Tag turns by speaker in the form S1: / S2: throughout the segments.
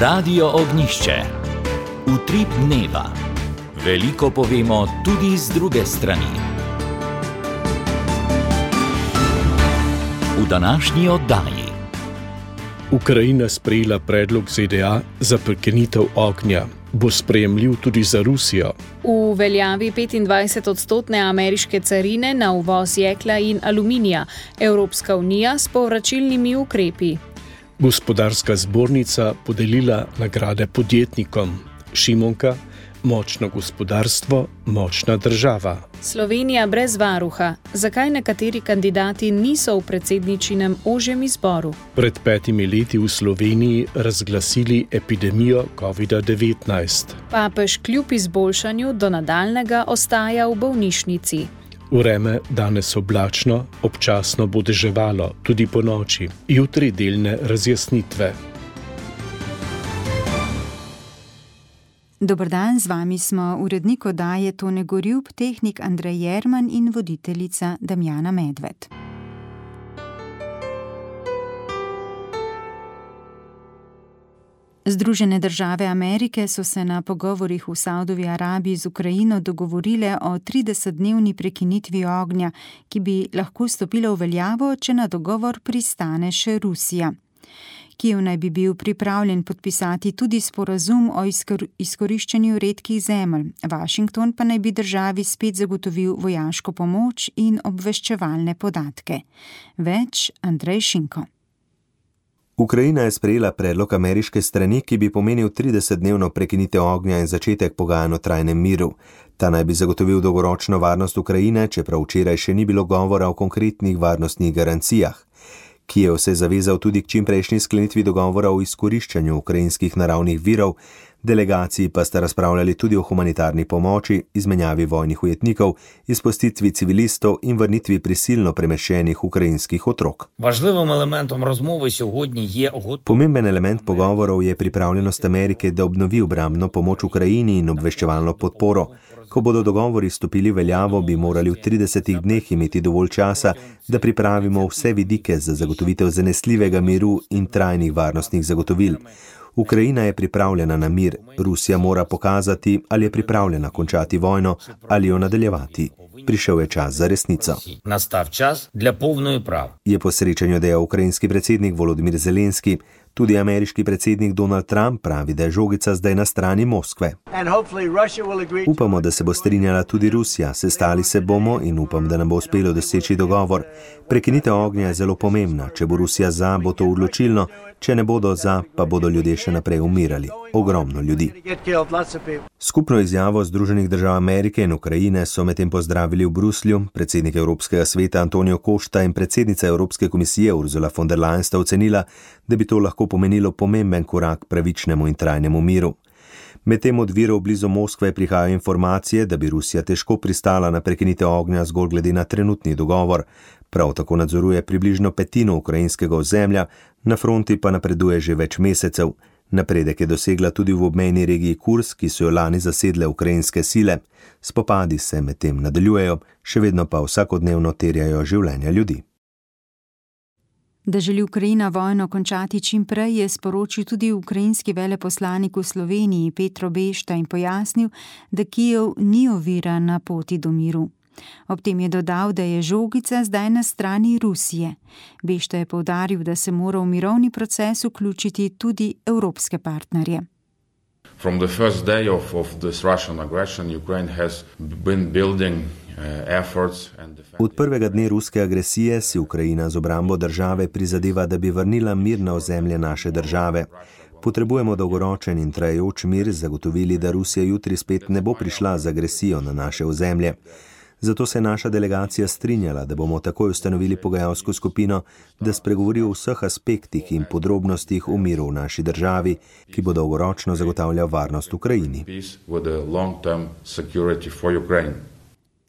S1: Radio Ognjišče. Utrip dneva. Veliko povemo tudi z druge strani. V današnji oddaji.
S2: Ukrajina sprejela predlog ZDA za prekinitev ognja. Bo sprejemljiv tudi za Rusijo?
S3: V veljavi 25-odstotne ameriške carine na uvoz jekla in aluminija. Evropska unija s povračilnimi ukrepi.
S2: Gospodarska zbornica podelila nagrade podjetnikom. Šimonka, močno gospodarstvo, močna država.
S3: Slovenija brez varuha. Zakaj nekateri kandidati niso v predsedničinem ožjem izboru?
S2: Pred 5 leti v Sloveniji razglasili epidemijo COVID-19.
S3: Papež kljub izboljšanju do nadaljnjega ostaja v bolnišnici.
S2: Vreme danes oblačno, občasno bo deževalo, tudi ponoči. Jutri delne razjasnitve.
S4: Dober dan, z vami smo urednik oddaje Tone Gorjup, tehnik Andrej Jerman in voditeljica Damjana Medved. Združene države Amerike so se na pogovorih v Saudovi Arabiji z Ukrajino dogovorile o 30-dnevni prekinitvi ognja, ki bi lahko stopila v veljavo, če na dogovor pristane še Rusija. Kijev naj bi bil pripravljen podpisati tudi sporazum o izkoriščanju redkih zemelj. Washington pa naj bi državi spet zagotovil vojaško pomoč in obveščevalne podatke. Več Andrej Šinko.
S5: Ukrajina je sprejela predlog ameriške strani, ki bi pomenil 30-dnevno prekinitev ognja in začetek pogajanj o trajnem miru. Ta naj bi zagotovil dolgoročno varnost Ukrajine, čeprav včeraj še ni bilo govora o konkretnih varnostnih garancijah. Kijev se je zavezal tudi k čimprejšnji sklenitvi dogovora o izkoriščanju ukrajinskih naravnih virov, delegaciji pa sta razpravljali tudi o humanitarni pomoči, izmenjavi vojnih ujetnikov, izpustitvi civilistov in vrnitvi prisilno premeščenih ukrajinskih otrok. Pomemben element pogovorov je pripravljenost Amerike, da obnovi obrambno pomoč Ukrajini in obveščevalno podporo. Ko bodo dogovori stopili veljavo, bi morali v 30 dneh imeti dovolj časa, da pripravimo vse vidike za zagotovitev zanesljivega miru in trajnih varnostnih zagotovil. Ukrajina je pripravljena na mir, Rusija mora pokazati, ali je pripravljena končati vojno ali jo nadaljevati. Prišel je čas za resnico. Je po srečanju dejal ukrajinski predsednik Volodimir Zelenski. Tudi ameriški predsednik Donald Trump pravi, da je žogica zdaj na strani Moskve. Upamo, da se bo strinjala tudi Rusija, sestali se bomo in upam, da nam bo uspelo doseči dogovor. Prekinitev ognja je zelo pomembna, če bo Rusija za, bo to odločilno, če ne bodo za, pa bodo ljudje še naprej umirali. Ogromno ljudi. Skupno izjavo Združenih držav Amerike in Ukrajine so medtem pozdravili v Bruslju. Predsednik Evropskega sveta Antonio Costa in predsednica Evropske komisije Ursula von der Leyen sta ocenila, da bi to lahko pomenilo pomemben korak pravičnemu in trajnemu miru. Medtem od virov blizu Moskve prihajajo informacije, da bi Rusija težko pristala na prekinitev ognja zgolj glede na trenutni dogovor. Prav tako nadzoruje približno petino ukrajinskega ozemlja, na fronti pa napreduje že več mesecev. Napredek je dosegla tudi v obmejni regiji Kursk, ki so jo lani zasedle ukrajinske sile. Spopadi se medtem nadaljujejo, še vedno pa vsakodnevno terjajo življenja ljudi.
S4: Da želi Ukrajina vojno končati čim prej, je sporočil tudi ukrajinski veleposlanik v Sloveniji Petro Bešta in pojasnil, da Kijev ni ovira na poti do miru. Ob tem je dodal, da je žogica zdaj na strani Rusije. Bešta je poudaril, da se mora v mirovni proces vključiti tudi evropske partnerje.
S6: From the first day of this Russian aggression, Ukraine has been building
S5: Od prvega dne ruske agresije si Ukrajina z obrambo države prizadeva, da bi vrnila mir na ozemlje naše države. Potrebujemo dolgoročen in trajajoč mir, zagotovili, da Rusija jutri spet ne bo prišla z agresijo na naše ozemlje. Zato se je naša delegacija strinjala, da bomo takoj ustanovili pogajalsko skupino, da spregovori o vseh aspektih in podrobnostih o miru v naši državi, ki bo dolgoročno zagotavljal varnost Ukrajini.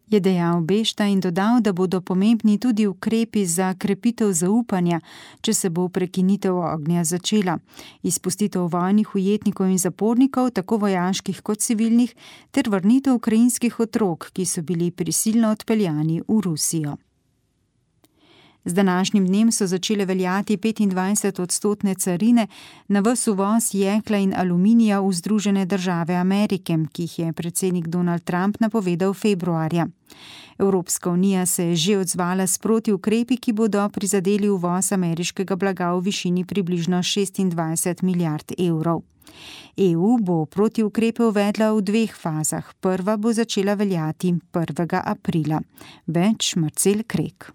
S4: Je dejal Bešta in dodal, da bodo pomembni tudi ukrepi za krepitev zaupanja, če se bo prekinitev ognja začela, izpustitev vojnih ujetnikov in zapornikov, tako vojaških kot civilnih, ter vrnitev ukrajinskih otrok, ki so bili prisilno odpeljani v Rusijo. Z današnjim dnem so začele veljati 25% carine na ves uvoz jekla in aluminija v Združene države Amerike, ki jih je predsednik Donald Trump napovedal februarja. Evropska unija se je že odzvala s protiukrepi, ki bodo prizadeli uvoz ameriškega blaga v višini približno 26 milijard evrov. EU bo protiukrepe uvedla v 2 fazah. Prva bo začela veljati 1. aprila. Več Marcel Krek.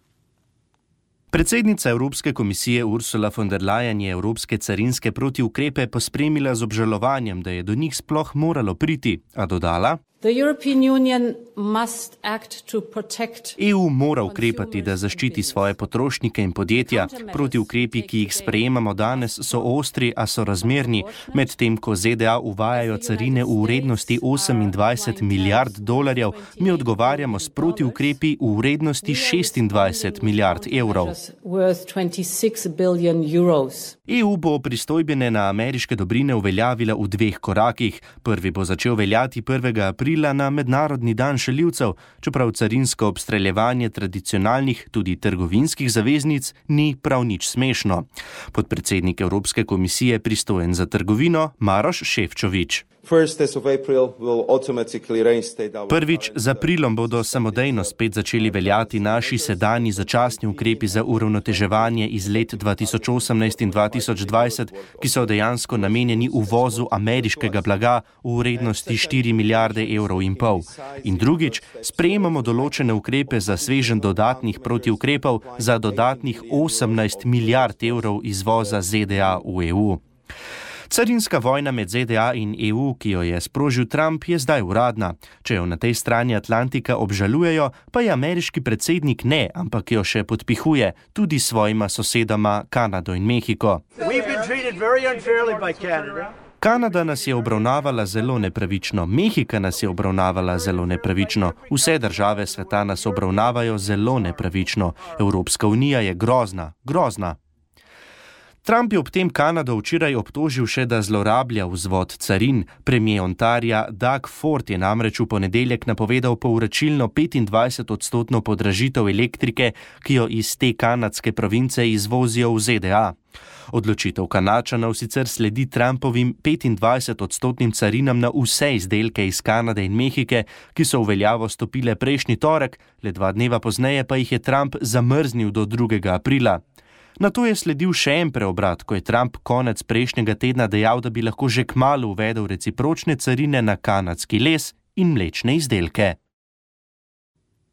S7: Predsednica Evropske komisije Ursula von der Leyen je evropske carinske protiukrepe pospremila z obžalovanjem, da je do njih sploh moralo priti, a dodala: EU mora ukrepati, da zaščiti svoje potrošnike in podjetja. Protiukrepi, ki jih sprejemamo danes, so ostri, a so razmerni, medtem ko ZDA uvajajo carine v vrednosti 28 milijard dolarjev, mi odgovarjamo s protiukrepi v vrednosti 26 milijard evrov. EU bo pristojbine na ameriške dobrine uveljavila v 2 korakih. Prvi bo začel veljati 1. aprila na Mednarodni dan šaljivcev, čeprav carinsko obstreljevanje tradicionalnih, tudi trgovinskih zaveznic ni prav nič smešno. Podpredsednik Evropske komisije pristojen za trgovino Maroš Šefčovič. Prvič, z aprilom bodo samodejno spet začeli veljati naši sedanji začasni ukrepi za uravnoteževanje iz let 2018 in 2020, ki so dejansko namenjeni uvozu ameriškega blaga v vrednosti 4 milijarde evrov in pol. In drugič, sprejemamo določene ukrepe za sveženj dodatnih protiukrepov za dodatnih 18 milijard evrov izvoza ZDA v EU. Carinska vojna med ZDA in EU, ki jo je sprožil Trump, je zdaj uradna. Če jo na tej strani Atlantika obžalujejo, pa je ameriški predsednik ne, ampak jo še podpihuje, tudi s svojima sosedama Kanado in Mehiko. Kanada nas je obravnavala zelo nepravično, Mehika nas je obravnavala zelo nepravično, vse države sveta nas obravnavajo zelo nepravično. Evropska unija je grozna. Trump je ob tem Kanado včeraj obtožil še, da zlorablja vzvod carin. Premier Ontarija Doug Ford je namreč v ponedeljek napovedal povračilno 25% podražitev elektrike, ki jo iz te kanadske province izvozijo v ZDA. Odločitev Kanačanov sicer sledi Trumpovim 25% carinam na vse izdelke iz Kanade in Mehike, ki so v veljavo stopile prejšnji torek, le 2 dneva pozneje pa jih je Trump zamrznil do 2. aprila. Nato je sledil še en preobrat, ko je Trump konec prejšnjega tedna dejal, da bi lahko že kmalu uvedel recipročne carine na kanadski les in mlečne izdelke.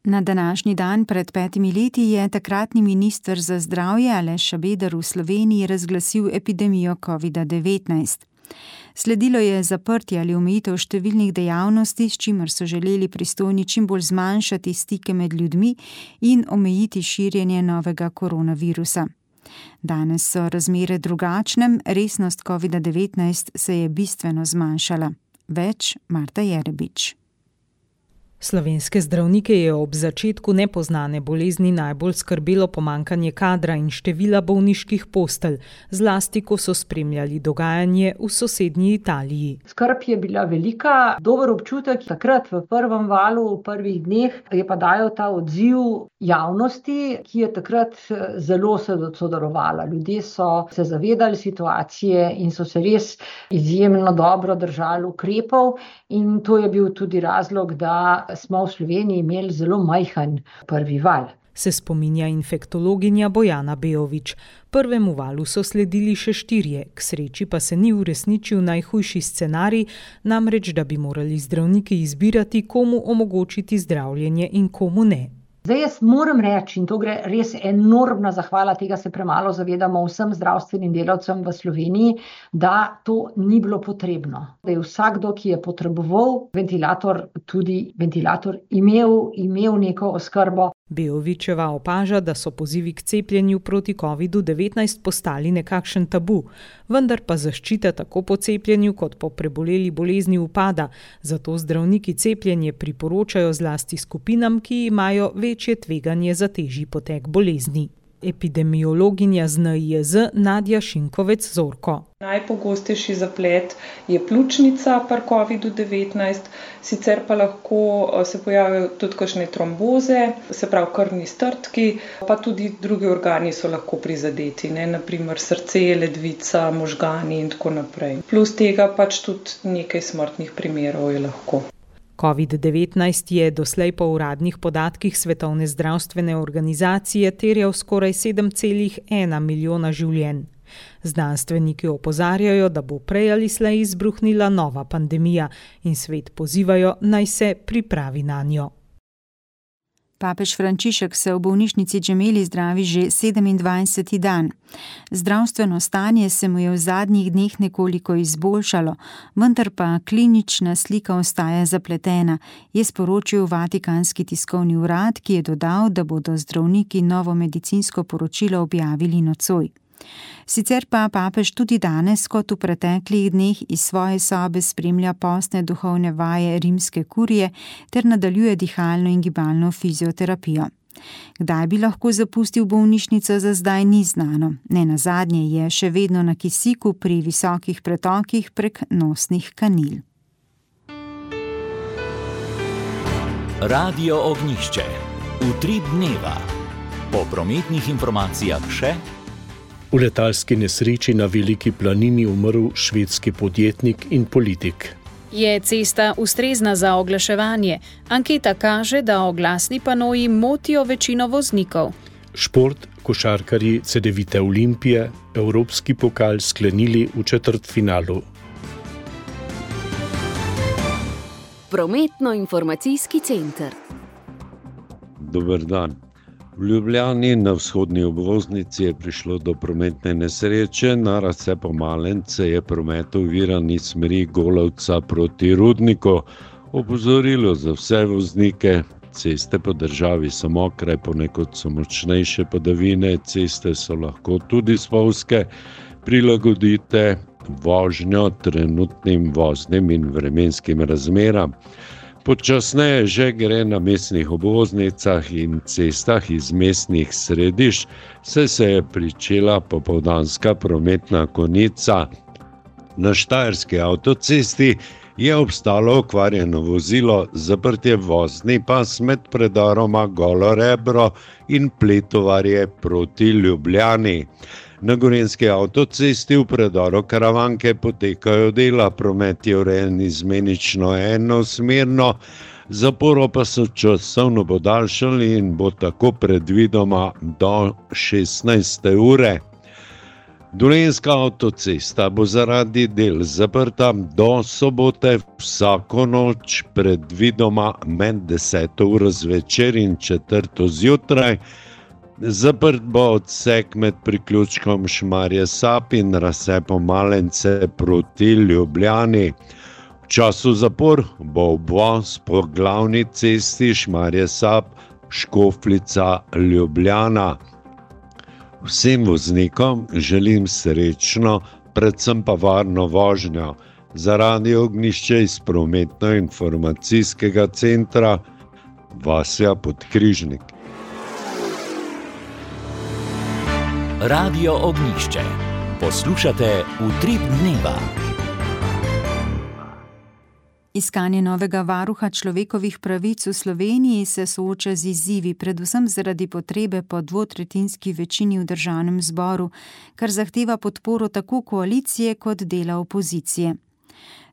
S4: Na današnji dan pred 5 leti je takratni minister za zdravje Aleš Šabeder v Sloveniji razglasil epidemijo COVID-19. Sledilo je zaprtje ali omejitev številnih dejavnosti, s čimer so želeli pristojni čim bolj zmanjšati stike med ljudmi in omejiti širjenje novega koronavirusa. Danes so razmere drugačne, resnost COVID-19 se je bistveno zmanjšala. Več Marta Jerebič.
S8: Slovenske zdravnike je ob začetku nepoznane bolezni najbolj skrbelo pomanjkanje kadra in števila bolniških postelj, zlasti ko so spremljali dogajanje v sosednji Italiji.
S9: Skrb je bila velika, dober občutek takrat v prvem valu, v prvih dneh je pa dajal ta odziv javnosti, ki je takrat zelo sodelovala. Ljudje so se zavedali situacije in so se res izjemno dobro držali ukrepov in to je bil tudi razlog, da smo v Sloveniji imeli zelo majhen prvi val.
S8: Se spominja infektologinja Bojana Bejovič. Prvemu valu so sledili še 4, k sreči pa se ni uresničil najhujši scenarij, namreč da bi morali zdravniki izbirati, komu omogočiti zdravljenje in komu ne.
S9: Zdaj jaz moram reči, in to gre res enormna zahvala, tega se premalo zavedamo vsem zdravstvenim delavcem v Sloveniji, da to ni bilo potrebno. Da je vsakdo, ki je potreboval ventilator, tudi ventilator imel neko oskrbo.
S8: Bejovičeva opaža, da so pozivi k cepljenju proti COVID-19 postali nekakšen tabu, vendar pa zaščita tako po cepljenju kot po preboleli bolezni upada, zato zdravniki cepljenje priporočajo zlasti skupinam, ki imajo večje tveganje za težji potek bolezni. epidemiologinja z NIJZ Nadja Šinkovec-Zorko.
S10: Najpogostejši zaplet je pljučnica pri COVID-19, sicer pa lahko se pojavijo tudi kakšne tromboze, se pravi krvni strdki, pa tudi drugi organi so lahko prizadeti, naprimer srce, ledvica, možgani in tako naprej. Plus tega pač tudi nekaj smrtnih primerov je lahko.
S8: COVID-19 je doslej po uradnih podatkih Svetovne zdravstvene organizacije terjal skoraj 7,1 milijona življenj. Znanstveniki opozarjajo, da bo prej ali slej izbruhnila nova pandemija in svet pozivajo, naj se pripravi nanjo.
S4: Papež Frančišek se v bolnišnici Gemelli zdravi že 27. dan. Zdravstveno stanje se mu je v zadnjih dneh nekoliko izboljšalo, vendar pa klinična slika ostaja zapletena, je sporočil Vatikanski tiskovni urad, ki je dodal, da bodo zdravniki novo medicinsko poročilo objavili nocoj. Sicer pa papež tudi danes, kot v preteklih dneh, iz svoje sobe spremlja postne duhovne vaje rimske kurije ter nadaljuje dihalno in gibalno fizioterapijo. Kdaj bi lahko zapustil bolnišnico, za zdaj ni znano. Nenazadnje je še vedno na kisiku pri visokih pretokih prek nosnih kanil.
S1: Radio Ognjišče. Utrip dneva. Po prometnih informacijah še.
S2: V letalski nesreči na Veliki planini umrl švedski podjetnik in politik.
S3: Je cesta ustrezna za oglaševanje? Anketa kaže, da oglasni panoji motijo večino voznikov.
S2: Šport, košarkarji Cedevite Olimpije, evropski pokal sklenili v četrtfinalu.
S11: Prometno-informacijski center.
S12: Dober dan. V Ljubljani na vzhodni obvoznici je prišlo do prometne nesreče, na razcepu Malence je promet oviran iz smeri Golovca proti Rudniku. Opozorilo za vse voznike, ceste po državi so mokre, ponekod so močnejše padavine, ceste so lahko tudi spolzke, prilagodite vožnjo trenutnim voznim in vremenskim razmeram. Počasneje že gre na mestnih obvoznicah in cestah iz mestnih središč, saj se je pričela popoldanska prometna konica. Na štajerski avtocesti je obstalo okvarjeno vozilo, zaprt je vozni pas med predoroma Golo Rebro in Pletovarje proti Ljubljani. Na gorenjski avtocesti v predoru Karavanke potekajo dela, promet je urejen izmenično enosmerno, zaporo pa so časovno podaljšali in bo tako predvidoma do 16. ure. Dolenjska avtocesta bo zaradi del zaprta do sobote vsako noč, predvidoma med 10. uro zvečer in 4. zjutraj. Zaprt bo odsek med priključkom Šmarje Sap in razcepom Malence proti Ljubljani. V času zapor bo obvoz po glavni cesti Šmarje Sap, Škofljica, Ljubljana. Vsem voznikom želim srečno, predvsem pa varno vožnjo. Za Radio Ognjišče iz prometno-informacijskega centra Vasja Podkrižnik.
S1: Radio Ognjišče. Poslušate Utrip dneva.
S4: Iskanje novega varuha človekovih pravic v Sloveniji se sooča z izzivi, predvsem zaradi potrebe po dvotretjinski večini v državnem zboru, kar zahteva podporo tako koalicije kot dela opozicije.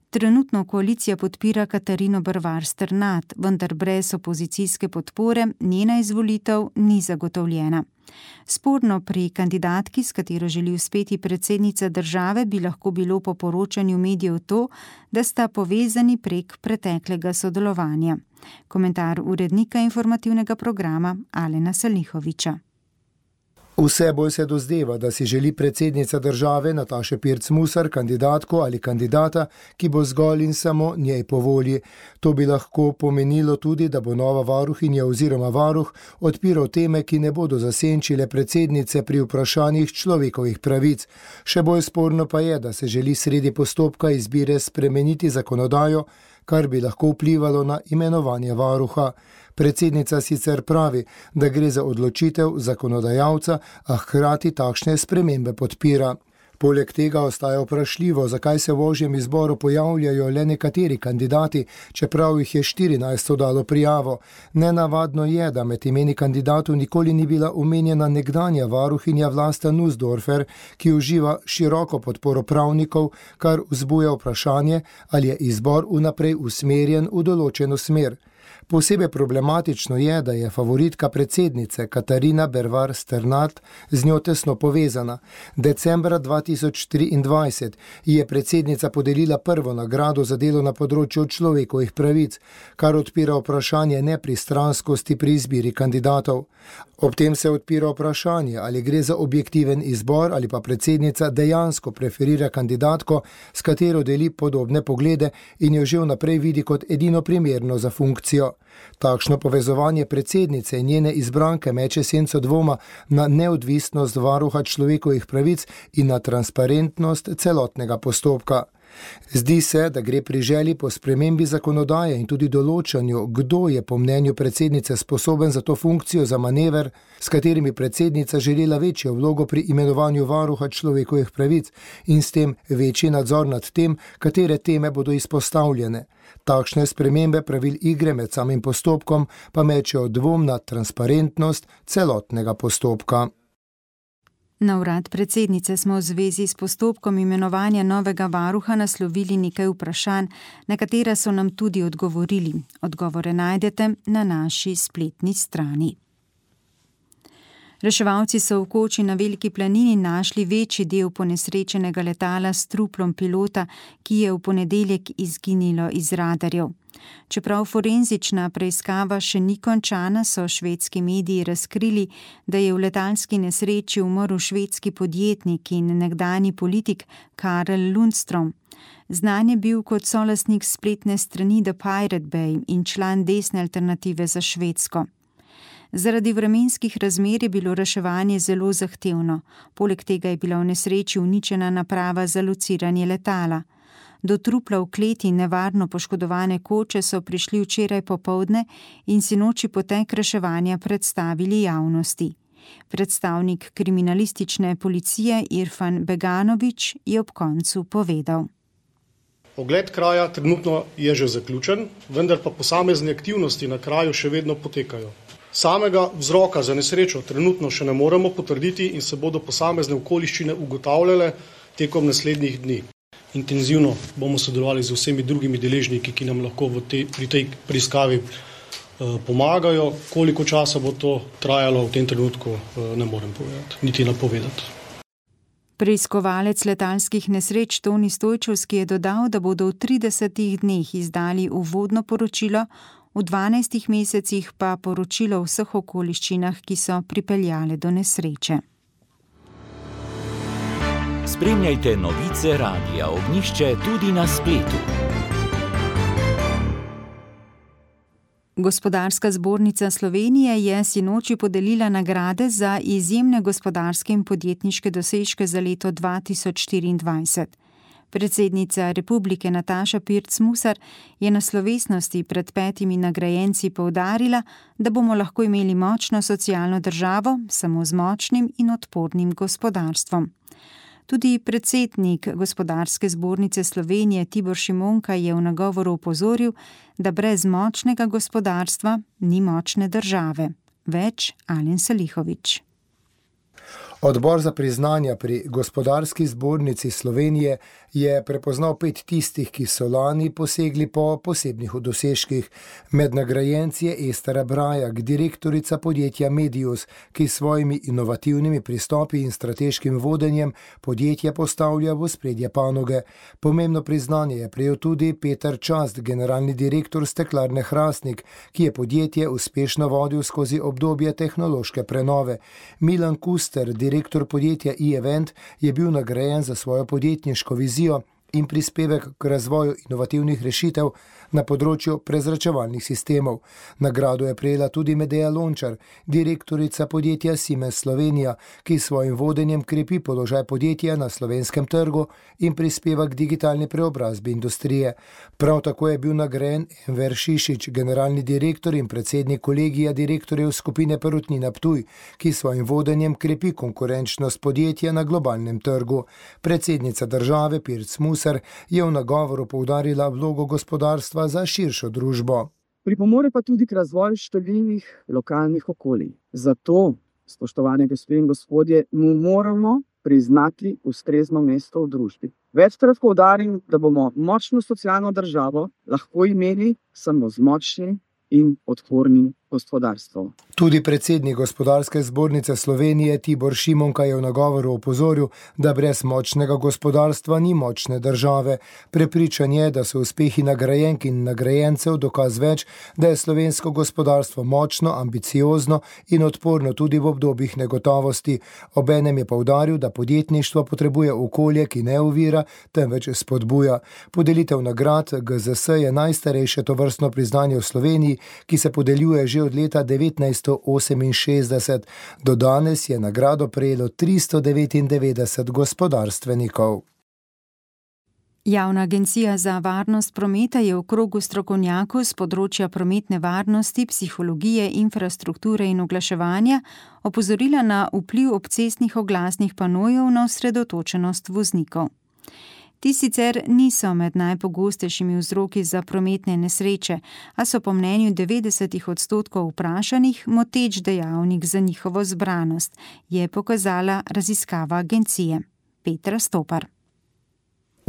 S4: Trenutno koalicija podpira Katarino Brvar Strnad, vendar brez opozicijske podpore njena izvolitev ni zagotovljena. Sporno pri kandidatki, s katero želi uspeti predsednica države, bi lahko bilo po poročanju medijev to, da sta povezani prek preteklega sodelovanja. Komentar urednika informativnega programa Alena Salihoviča.
S13: Vse bolj se dozdeva, da si želi predsednica države Nataša Pirc Musar kandidatko ali kandidata, ki bo zgolj in samo njej po volji. To bi lahko pomenilo tudi, da bo nova varuhinja oziroma varuh odpiral teme, ki ne bodo zasenčile predsednice pri vprašanjih človekovih pravic. Še bolj sporno pa je, da se želi sredi postopka izbire spremeniti zakonodajo, kar bi lahko vplivalo na imenovanje varuha. Predsednica sicer pravi, da gre za odločitev zakonodajalca, a hkrati takšne spremembe podpira. Poleg tega ostaja vprašljivo, zakaj se v ožjem izboru pojavljajo le nekateri kandidati, čeprav jih je 14 dalo prijavo. Nenavadno je, da med imeni kandidatov nikoli ni bila omenjena nekdanja varuhinja Vlasta Nussdorfer, ki uživa široko podporo pravnikov, kar vzbuja vprašanje, ali je izbor vnaprej usmerjen v določeno smer. Posebej problematično je, da je favoritka predsednice Katarina Bervar Sternat z njo tesno povezana. Decembra 2023 je predsednica podelila prvo nagrado za delo na področju človekovih pravic, kar odpira vprašanje nepristranskosti pri izbiri kandidatov. Ob tem se odpira vprašanje, ali gre za objektiven izbor ali pa predsednica dejansko preferira kandidatko, s katero deli podobne poglede in jo že vnaprej vidi kot edino primerno za funkcijo. Takšno povezovanje predsednice in njene izbranke meče senco dvoma na neodvisnost varuha človekovih pravic in na transparentnost celotnega postopka. Zdi se, da gre pri želji po spremembi zakonodaje in tudi določanju, kdo je po mnenju predsednice sposoben za to funkcijo za manever, s katerimi predsednica želela večjo vlogo pri imenovanju varuha človekovih pravic in s tem večji nadzor nad tem, katere teme bodo izpostavljene. Takšne spremembe pravil igre med samim postopkom pa mečejo dvom na transparentnost celotnega postopka.
S4: Na urad predsednice smo v zvezi s postopkom imenovanja novega varuha naslovili nekaj vprašanj, na katera so nam tudi odgovorili. Odgovore najdete na naši spletni strani. Reševalci so v Koči na Veliki planini našli večji del ponesrečenega letala s truplom pilota, ki je v ponedeljek izginilo iz radarjev. Čeprav forenzična preiskava še ni končana, so švedski mediji razkrili, da je v letalski nesreči umrl švedski podjetnik in nekdanji politik Karel Lundström. Znan je bil kot solastnik spletne strani The Pirate Bay in član desne alternative za Švedsko. Zaradi vremenskih razmer je bilo reševanje zelo zahtevno. Poleg tega je bila v nesreči uničena naprava za lociranje letala. Do trupla v kleti nevarno poškodovane koče so prišli včeraj popoldne in sinoči potek reševanja predstavili javnosti. Predstavnik kriminalistične policije Irfan Beganović je ob koncu povedal.
S14: Ogled kraja trenutno je že zaključen, vendar pa posamezne aktivnosti na kraju še vedno potekajo. Samega vzroka za nesrečo trenutno še ne moremo potrditi in se bodo posamezne okoliščine ugotavljale tekom naslednjih dni. Intenzivno bomo sodelovali z vsemi drugimi deležniki, ki nam lahko pri tej preiskavi pomagajo. Koliko časa bo to trajalo, v tem trenutku ne morem povedati, niti napovedati.
S4: Preiskovalec letalskih nesreč Toni Stojčevski je dodal, da bodo v 30 dneh izdali uvodno poročilo, v 12 mesecih pa poročilo o vseh okoliščinah, ki so pripeljale do nesreče.
S1: Spremljajte novice Radia Ognjišče tudi na spletu.
S4: Gospodarska zbornica Slovenije je sinoči podelila nagrade za izjemne gospodarske in podjetniške dosežke za leto 2024. Predsednica Republike Nataša Pirc Musar je na slovesnosti pred 5 nagrajenci poudarila, da bomo lahko imeli močno socialno državo samo z močnim in odpornim gospodarstvom. Tudi predsednik Gospodarske zbornice Slovenije Tibor Šimonka je v nagovoru opozoril, da brez močnega gospodarstva ni močne države. Več Alen Salihović.
S13: Odbor za priznanja pri Gospodarski zbornici Slovenije je prepoznal 5 tistih, ki so lani posegli po posebnih dosežkih. Med nagrajenci je Estera Brajak, direktorica podjetja Medius, ki s svojimi inovativnimi pristopi in strateškim vodenjem podjetje postavlja v ospredje panoge. Pomembno priznanje je prejel tudi Peter Čast, generalni direktor Steklarne Hrastnik, ki je podjetje uspešno vodil skozi obdobje tehnološke prenove. Milan Kuster, direktor podjetja e-Event, je bil nagrajen za svojo podjetniško vizijo in prispevek k razvoju inovativnih rešitev na področju prezračevalnih sistemov. Nagrado je prejela tudi Medea Lončar, direktorica podjetja Siemens Slovenija, ki s svojim vodenjem krepi položaj podjetja na slovenskem trgu in prispeva k digitalni preobrazbi industrije. Prav tako je bil nagrajen Enver Šišić, generalni direktor in predsednik kolegija direktorjev skupine Perutnina Ptuj, ki s svojim vodenjem krepi konkurenčnost podjetja na globalnem trgu. Predsednica države Pirc Musar je v nagovoru poudarila vlogo gospodarstva za širšo družbo.
S15: Pripomore pa tudi k razvoju številnih lokalnih okolij. Zato, spoštovane gospe in gospodje, mu moramo priznati ustrezno mesto v družbi. Večkrat poudarim, da bomo močno socialno državo lahko imeli samo z močnim in odpornim gospodarstvom.
S13: Tudi predsednik Gospodarske zbornice Slovenije Tibor Šimonka je v nagovoru opozoril, da brez močnega gospodarstva ni močne države. Prepričan je, da so uspehi nagrajenk in nagrajencev dokaz več, da je slovensko gospodarstvo močno, ambiciozno in odporno tudi v obdobjih negotovosti. Obenem je poudaril, da podjetništvo potrebuje okolje, ki ne ovira, temveč spodbuja. Podelitev nagrad GZS je najstarejše tovrstno priznanje v Sloveniji, ki se podeljuje že od leta 1968. Do danes je nagrado prejelo 399 gospodarstvenikov.
S4: Javna agencija za varnost prometa je v krogu strokovnjakov z področja prometne varnosti, psihologije, infrastrukture in oglaševanja opozorila na vpliv obcestnih oglasnih panojev na osredotočenost voznikov. Ti sicer niso med najpogostejšimi vzroki za prometne nesreče, a so po mnenju 90% vprašanih moteč dejavnik za njihovo zbranost, je pokazala raziskava agencije. Petra Stopar.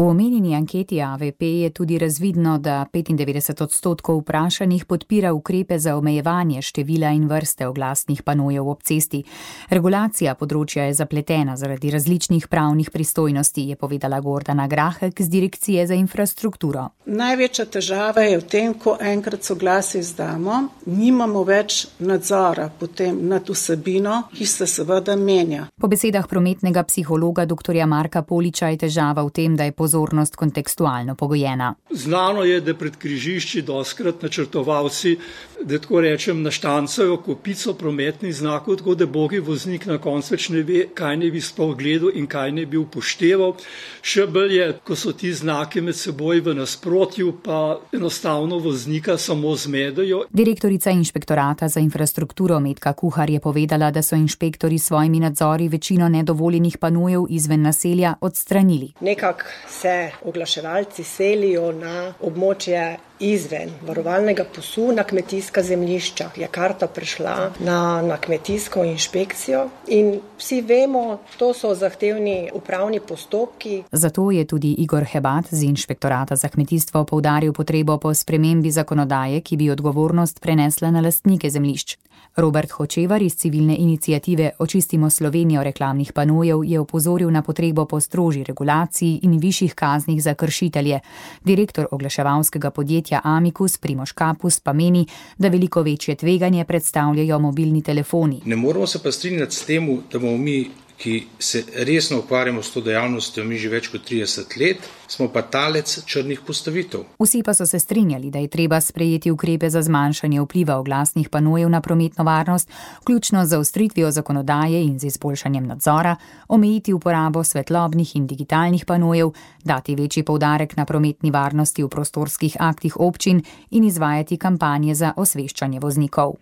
S16: V omenjeni anketi AVP je tudi razvidno, da 95% vprašanih podpira ukrepe za omejevanje števila in vrste oglasnih panojev ob cesti. Regulacija področja je zapletena zaradi različnih pravnih pristojnosti, je povedala Gordana Grahek z Direkcije za infrastrukturo.
S17: Največja težava je v tem, ko enkrat soglasje izdamo, nimamo več nadzora potem nad vsebino, ki se seveda menja.
S16: Po besedah prometnega psihologa dr. Marka Poliča je težava v tem, da je pozornost kontekstualno pogojena.
S18: Znano je, da pred križišči doskrat načrtovalci, da tako rečem, naštancajo kopico prometnih znakov, tako da bogi voznik na koncu več ne ve, kaj ne bi sploh gledal in kaj ne bi upošteval. Še bolj je, ko so ti znaki med seboj v nasprotju, pa enostavno voznika samo zmedejo.
S16: Direktorica inšpektorata za infrastrukturo Metka Kuhar je povedala, da so inšpektori s svojimi nadzori večino nedovoljenih panojev izven naselja odstranili.
S19: Nekako se oglaševalci selijo na območje izven varovalnega pasu na kmetijska zemljišča. Je karta prišla na kmetijsko inšpekcijo in vsi vemo, to so zahtevni upravni postopki.
S16: Zato je tudi Igor Hebat z inšpektorata za kmetijstvo poudaril potrebo po spremembi zakonodaje, ki bi odgovornost prenesla na lastnike zemljišč. Robert Hočevar iz civilne iniciative Očistimo Slovenijo reklamnih panojev je opozoril na potrebo po strožji regulaciji in višjih kaznih za kršitelje. Direktor oglaševalskega podjetja Amicus Primož Kapus pa meni, da veliko večje tveganje predstavljajo mobilni telefoni.
S20: Ne moramo se pa strinjati s tem, da bomo mi, ki se resno ukvarjamo s to dejavnostjo, mi že več kot 30 let, smo pa talec črnih postavitev.
S16: Vsi pa so se strinjali, da je treba sprejeti ukrepe za zmanjšanje vpliva oglasnih panojev na prometno varnost, vključno z zaostritvijo zakonodaje in z izboljšanjem nadzora, omejiti uporabo svetlobnih in digitalnih panojev, dati večji poudarek na prometni varnosti v prostorskih aktih občin in izvajati kampanje za osveščanje voznikov.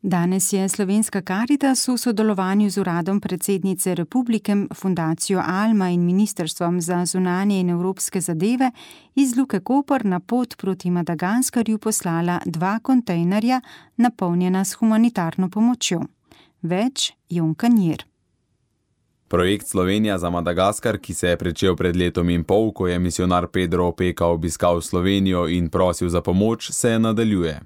S4: Danes je Slovenska Karitas v sodelovanju z Uradom predsednice Republike, Fundacijo Alma in Ministrstvom za zunanje in evropske zadeve iz Luke Koper na pot proti Madagaskarju poslala 2 kontejnerja, napolnjena s humanitarno pomočjo. Več Jon Kanjer.
S21: Projekt Slovenija za Madagaskar, ki se je pričel pred letom in pol, ko je misionar Pedro Opeka obiskal Slovenijo in prosil za pomoč, se nadaljuje.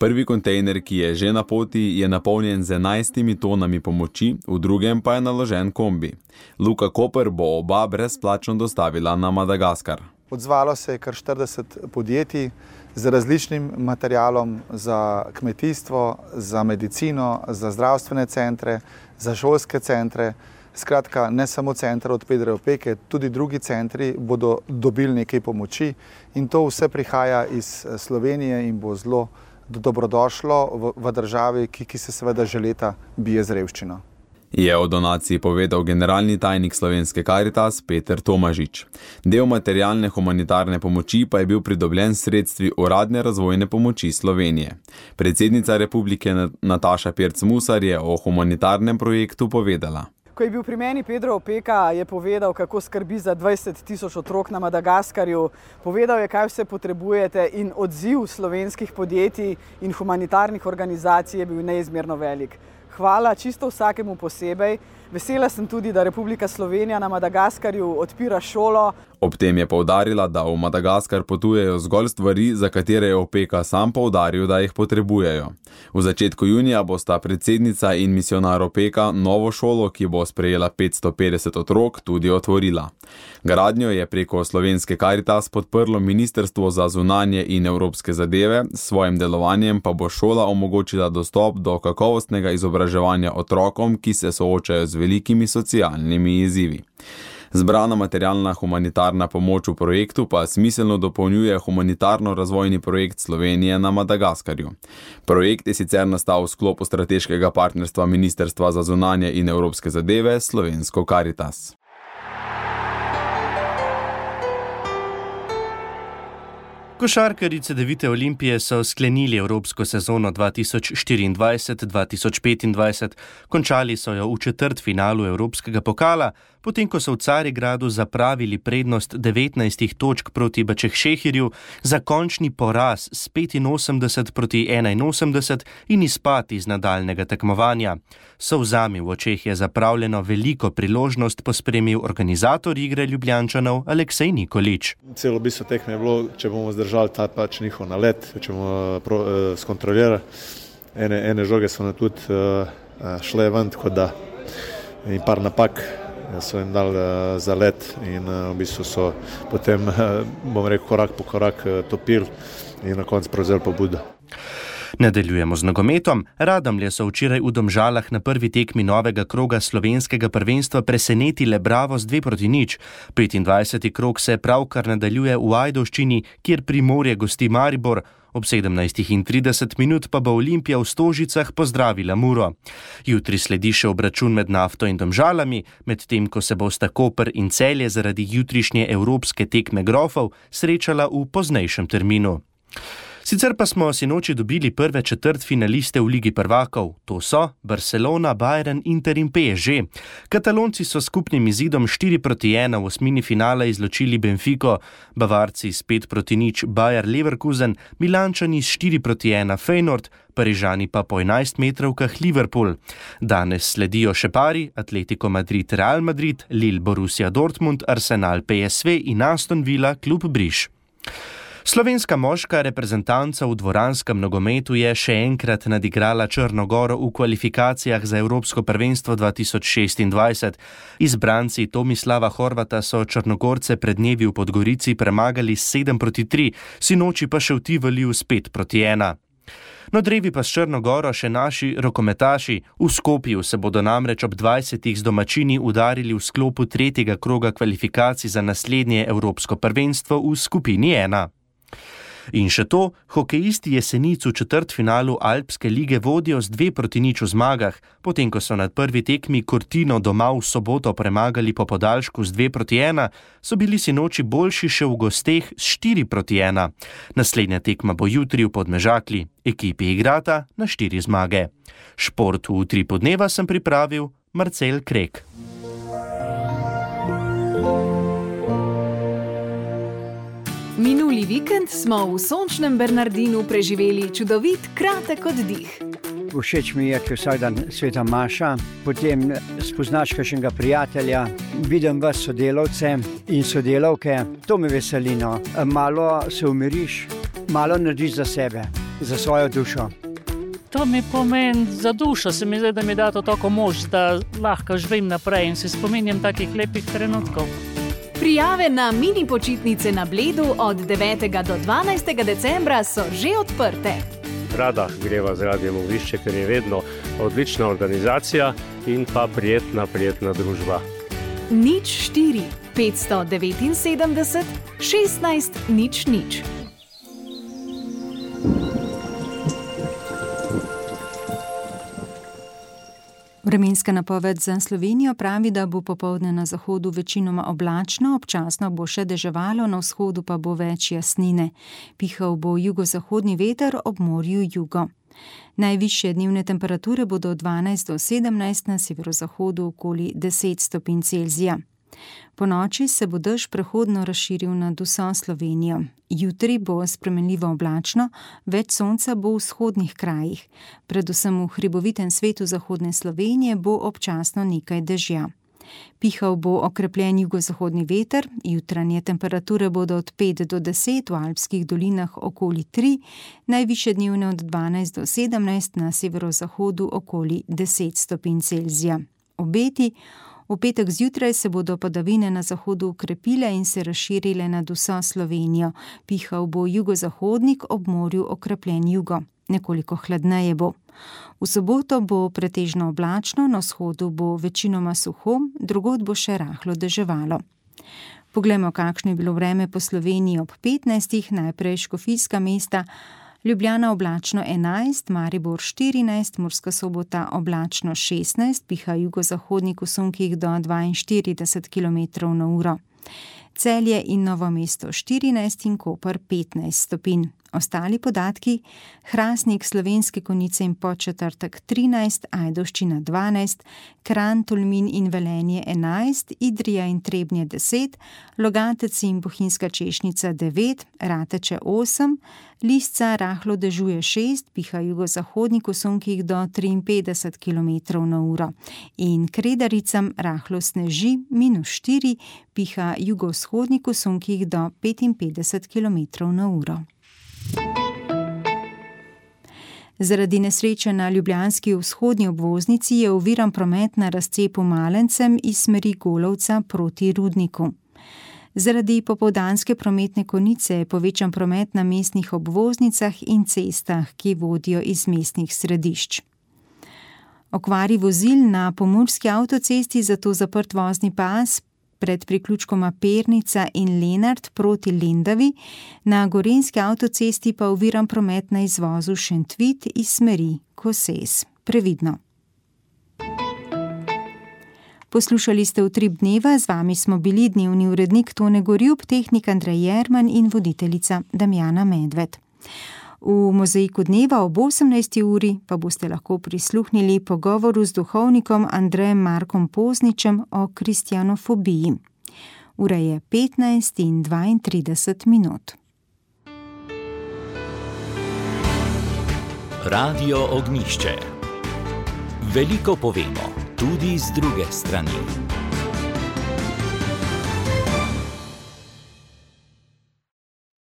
S21: Prvi kontejner, ki je že na poti, je napolnjen z 11 tonami pomoči, v drugem pa je naložen kombi. Luka Koper bo oba brezplačno dostavila na Madagaskar.
S22: Odzvalo se je kar 40 podjetij z različnim materialom za kmetijstvo, za medicino, za zdravstvene centre, za šolske centre, Skratka, ne samo center od Pedra Opeke, tudi drugi centri bodo dobili nekaj pomoči in to vse prihaja iz Slovenije in bo zelo dobrodošlo v državi, ki se seveda že leta bije z revščino.
S21: Je o donaciji povedal generalni tajnik Slovenske Karitas Peter Tomažič. Del materialne humanitarne pomoči pa je bil pridobljen s sredstvi uradne razvojne pomoči Slovenije. Predsednica republike Nataša Pirc Musar je o humanitarnem projektu povedala.
S5: Ko je bil pri meni Pedro Opeka, je povedal, kako skrbi za 20.000 otrok na Madagaskarju. Povedal je, kaj vse potrebujete in odziv slovenskih podjetij in humanitarnih organizacij je bil neizmerno velik. Hvala čisto vsakemu posebej. Vesela sem tudi, da Republika Slovenija na Madagaskarju odpira šolo.
S21: Ob tem je poudarila, da v Madagaskar potujejo zgolj stvari, za katere je Opeka sam poudaril, da jih potrebujejo. V začetku junija bosta predsednica in misionar Opeka novo šolo, ki bo sprejela 550 otrok, tudi otvorila. Gradnjo je preko Slovenske Karitas podprlo Ministrstvo za zunanje in evropske zadeve, s svojim delovanjem pa bo šola omogočila dostop do kakovostnega izobraževanja otrokom, ki se soočajo z velikimi socialnimi izzivi. Zbrana materialna humanitarna pomoč v projektu pa smiselno dopolnjuje humanitarno-razvojni projekt Slovenije na Madagaskarju. Projekt je sicer nastal v sklopu strateškega partnerstva Ministrstva za zunanje in evropske zadeve s Slovensko Karitas.
S7: Košarkarice Devite Olimpije so sklenili evropsko sezono 2024-2025, končali so jo v četrtfinalu evropskega pokala, potem ko so v Carigradu zapravili prednost 19 točk proti Bačehšehirju za končni poraz s 85-81 in izpad iz nadaljnega tekmovanja. Solzami v očeh je zapravljeno veliko priložnost pospremil organizator igre Ljubljančanov Aleksej Nikolič.
S22: Celo bistvo tekme je bilo, če bomo zdržali ta pač njihov nalet, če bomo skontrolirali. Ene žoge so na tudi šle ven, tako da in par napak so jim dali za let in v bistvu so potem, bom rekel, korak po korak topili in na koncu prevzeli pobudo.
S7: Nadaljujemo z nogometom. Radomlje so včeraj v Domžalah na prvi tekmi novega kroga slovenskega prvenstva presenetile Bravo z 2-0. 25. krog se pravkar nadaljuje v Ajdovščini, kjer Primorje gosti Maribor. Ob 17:30 minut pa bo Olimpija v Stožicah pozdravila Muro. Jutri sledi še obračun med Nafto in Domžalami, medtem ko se bosta Koper in Celje zaradi jutrišnje evropske tekme grofov srečala v poznejšem terminu. Sicer pa smo sinoči dobili prve četrtfinaliste v Ligi prvakov. To so Barcelona, Bayern, Inter in PSG. Katalonci so skupnim izidom 4-1 v osmini finala izločili Benfico, Bavarci s 5-0 Bayer Leverkusen, Milančani s 4-1 Feyenoord, Parižani pa po 11-metrovkah Liverpool. Danes sledijo še pari Atletico Madrid, Real Madrid, Lille, Borussia Dortmund, Arsenal, PSV in Aston Villa, klub Briš. Slovenska moška reprezentanca v dvoranskem nogometu je še enkrat nadigrala Črno Goro v kvalifikacijah za Evropsko prvenstvo 2026. Izbranci Tomislava Horvata so Črnogorce pred dnevi v Podgorici premagali 7-3, sinoči pa še v Tivoliju s 5-1. No, drevi pa s Črno Goro še naši rokometaši. V Skopju se bodo namreč ob 20. z domačini udarili v sklopu tretjega kroga kvalifikacij za naslednje Evropsko prvenstvo v skupini 1. In še to, hokejisti Jesenic v četrtfinalu Alpske lige vodijo z 2-0 v zmagah, potem ko so nad prvi tekmi Cortino doma v soboto premagali po podaljšku z 2-1, so bili sinoči boljši še v gosteh s 4-1. Naslednja tekma bo jutri v Podmežakli. Ekipi igrata na 4 zmage. Šport v Utripu dneva sem pripravil Marcel Krek.
S3: Minuli vikend smo v sončnem Bernardinu preživeli čudovit kratek oddih.
S6: Všeč mi je, ker vsak dan sveta maša, potem spoznaš kakšnega prijatelja, vidim vas sodelavce in sodelavke, to me veseli, no. Malo se umiriš, malo narediš za sebe, za svojo dušo.
S23: To mi pomeni za dušo, se mi zdi, da mi da to tako moč, da lahko živim naprej in se spominjam takih lepih trenutkov.
S3: Prijave na mini počitnice na Bledu od 9. do 12. decembra so že odprte.
S8: rada greva z Radiem Ognjišče, ker je vedno odlična organizacija in pa prijetna družba.
S3: 04 579 16 00.
S4: Vremenska napoved za Slovenijo pravi, da bo popoldne na zahodu večinoma oblačno, občasno bo še deževalo, na vzhodu pa bo več jasnine. Pihal bo jugozahodni veter, ob morju jugo. Najvišje dnevne temperature bodo od 12 do 17, na severozahodu okoli 10 stopinj Celzija. Po noči se bo dež prehodno razširil nad vso Slovenijo. Jutri bo spremenljivo oblačno, več sonca bo v vzhodnih krajih. Predvsem v hribovitem svetu zahodne Slovenije bo občasno nekaj dežja. Pihal bo okrepljen jugozahodni veter, jutranje temperature bodo od 5 do 10, v alpskih dolinah okoli 3, najvišje dnevne od 12 do 17, na severozahodu okoli 10 stopinj Celzija. Obeti: v petek zjutraj se bodo padavine na zahodu ukrepile in se razširile nad vso Slovenijo. Pihal bo jugozahodnik, ob morju okrepljen jugo. Nekoliko hladneje bo. V soboto bo pretežno oblačno, na vzhodu bo večinoma suho, drugod bo še rahlo deževalo. Poglejmo, kakšno je bilo vreme po Sloveniji ob 15. Najprej škofijska mesta. Ljubljana oblačno 11, Maribor 14, Murska Sobota oblačno 16, piha jugozahodnik v sunkih do 42 km/h. Celje in Novo mesto 14 in Koper 15 stopinj. Ostali podatki: Hrastnik, Slovenske Konjice in Podčetrtek 13, Ajdovščina 12, Kranj, Tolmin in Velenje 11, Idrija in Trebnje 10, Logatec in Bohinjska Češnica 9, Rateče 8, Lisca rahlo dežuje 6, piha jugozahodnik v sunkih do 53 km/h. In Kredaricam rahlo sneži -4, piha jugovzhodnik v sunkih do 55 km/h. Zaradi nesreče na ljubljanski vzhodni obvoznici je oviran promet na razcepu Malencem iz smeri Golovca proti Rudniku. Zaradi popoldanske prometne konice je povečan promet na mestnih obvoznicah in cestah, ki vodijo iz mestnih središč. Okvari vozil na pomurski avtocesti, zato zaprt vozni pas pred priključkoma Pernica in Lenart proti Lendavi, na gorenjski avtocesti pa oviran promet na izvozu Šentvid iz smeri Koses. Previdno. Poslušali ste Utrip dneva, z vami smo bili dnevni urednik Tone Gorjup, tehnik Andrej Jerman in voditeljica Damjana Medved. V Mozaiku dneva ob 18. uri pa boste lahko prisluhnili pogovoru z duhovnikom Andrejem Markom Pozničem o kristjanofobiji. Ura je 15:32.
S1: Radio Ognjišče. Veliko povemo, tudi z druge strani.